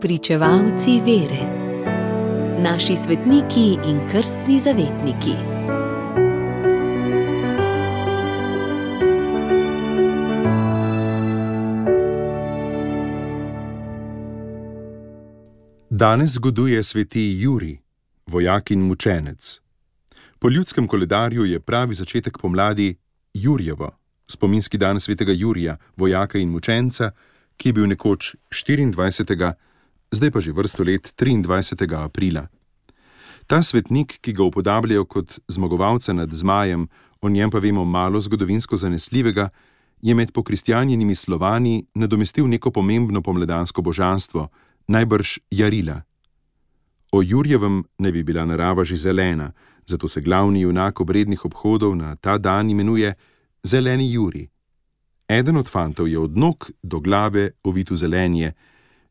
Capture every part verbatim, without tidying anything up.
Spričevalci vere. Naši svetniki in krstni zavetniki. Danes zgoduje sveti Jurij, vojak in mučenec. Po ljudskem koledarju je pravi začetek pomladi Jurjevo, spominski dan svetega Jurija, vojaka in mučenca, ki je bil nekoč štiriindvajsetega, zdaj pa že vrsto let triindvajsetega aprila. Ta svetnik, ki ga upodabljajo kot zmagovalca nad zmajem, o njem pa vemo malo zgodovinsko zanesljivega, je med pokristjanjenimi Slovani nadomestil neko pomembno pomladansko božanstvo, najbrž Jarila. O Jurjevem naj bi bila narava že zelena, zato se glavni junak obrednih obhodov na ta dan imenuje Zeleni Jurij. Eden od fantov je od nog do glave ovit v zelenje.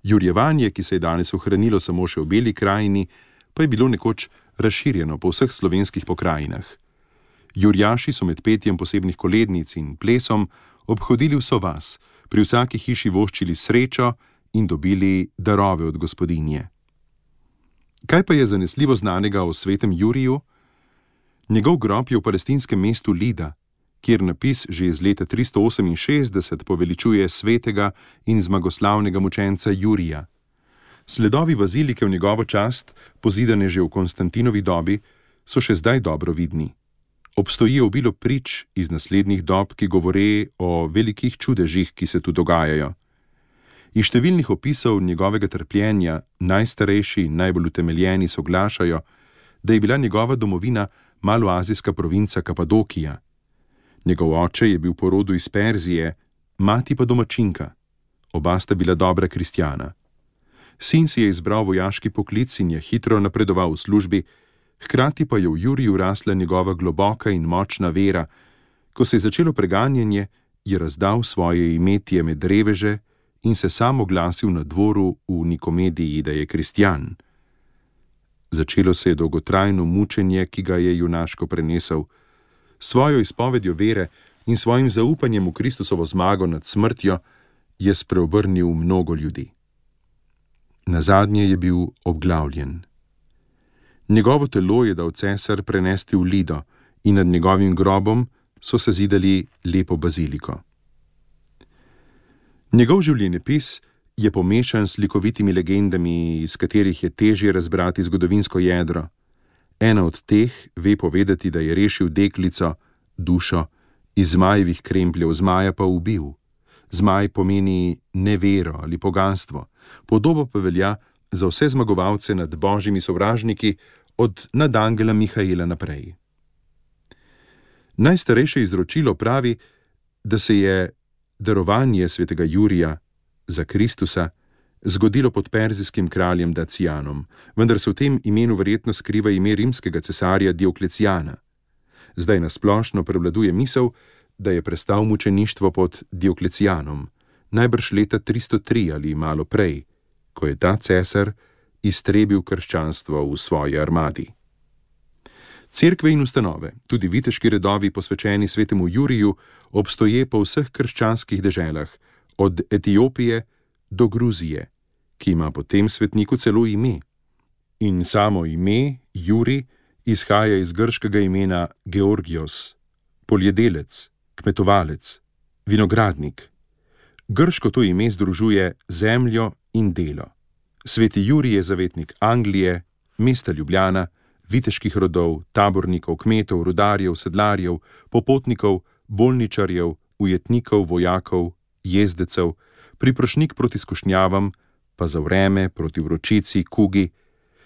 Jurjevanje, ki se je danes ohranilo samo še v Beli krajini, pa je bilo nekoč razširjeno po vseh slovenskih pokrajinah. Jurjaši so med petjem posebnih kolednic in plesom obhodili vso vas, pri vsaki hiši voščili srečo in dobili darove od gospodinje. Kaj pa je zanesljivo znanega o svetem Juriju? Njegov grob je v palestinskem mestu Lida, kjer napis že iz leta tristo oseminšestdeset poveličuje svetega in zmagoslavnega mučenca Jurija. Sledovi bazilike v njegovo čast, pozidane že v Konstantinovi dobi, so še zdaj dobro vidni. Obstoji obilo prič iz naslednjih dob, ki govore o velikih čudežih, ki se tu dogajajo. Iz številnih opisov njegovega trpljenja najstarejši in najbolj utemeljeni soglašajo, da je bila njegova domovina maloazijska provinca Kapadokija. Njegov oče je bil po rodu iz Perzije, mati pa domačinka. Oba sta bila dobra kristjana. Sin si je izbral vojaški poklic in je hitro napredoval v službi, hkrati pa je v Juriju rasla njegova globoka in močna vera. Ko se je začelo preganjanje, je razdal svoje imetje med reveže in se sam oglasil na dvoru v Nikomediji, da je kristjan. Začelo se je dolgotrajno mučenje, ki ga je junaško prenesel. Svojo izpovedjo vere in svojim zaupanjem v Kristusovo zmago nad smrtjo je spreobrnil mnogo ljudi. Nazadnje je bil obglavljen. Njegovo telo je dal cesar prenesti v Lido in nad njegovim grobom so se zidali lepo baziliko. Njegov življenjepis je pomešan s slikovitimi legendami, iz katerih je težje razbrati zgodovinsko jedro. Ena od teh ve povedati, da je rešil deklico, dušo, iz zmajevih krempljev, zmaja pa ubil. Zmaj pomeni nevero ali poganstvo, podobo pa velja za vse zmagovalce nad božjimi sovražniki, od nadangela Mihaela naprej. Najstarejše izročilo pravi, da se je darovanje svetega Jurija za Kristusa zgodilo pod perzijskim kraljem Dacijanom, vendar se v tem imenu verjetno skriva ime rimskega cesarja Dioklecijana. Zdaj nasplošno prevladuje misel, da je prestal mučeništvo pod Dioklecijanom, najbrž leta tristo tri ali malo prej, ko je ta cesar iztrebil krščanstvo v svoji armadi. Cerkve in ustanove, tudi viteški redovi posvečeni svetemu Juriju, obstoje po vseh krščanskih deželah, od Etiopije do Gruzije, ki ima po tem svetniku celo ime. In samo ime, Jurij, izhaja iz grškega imena Georgios, poljedelec, kmetovalec, vinogradnik. Grško to ime združuje zemljo in delo. Sveti Jurij je zavetnik Anglije, mesta Ljubljana, viteških rodov, tabornikov, kmetov, rudarjev, sedlarjev, popotnikov, bolničarjev, ujetnikov, vojakov, jezdecev, priprošnik proti skušnjavam, pa za vreme, proti vročici, kugi.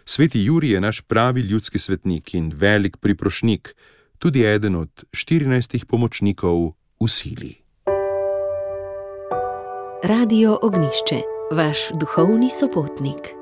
Sveti Jurij je naš pravi ljudski svetnik in velik priprošnik, tudi eden od štirinajstih pomočnikov v sili. Radio Ognjišče, vaš duhovni sopotnik.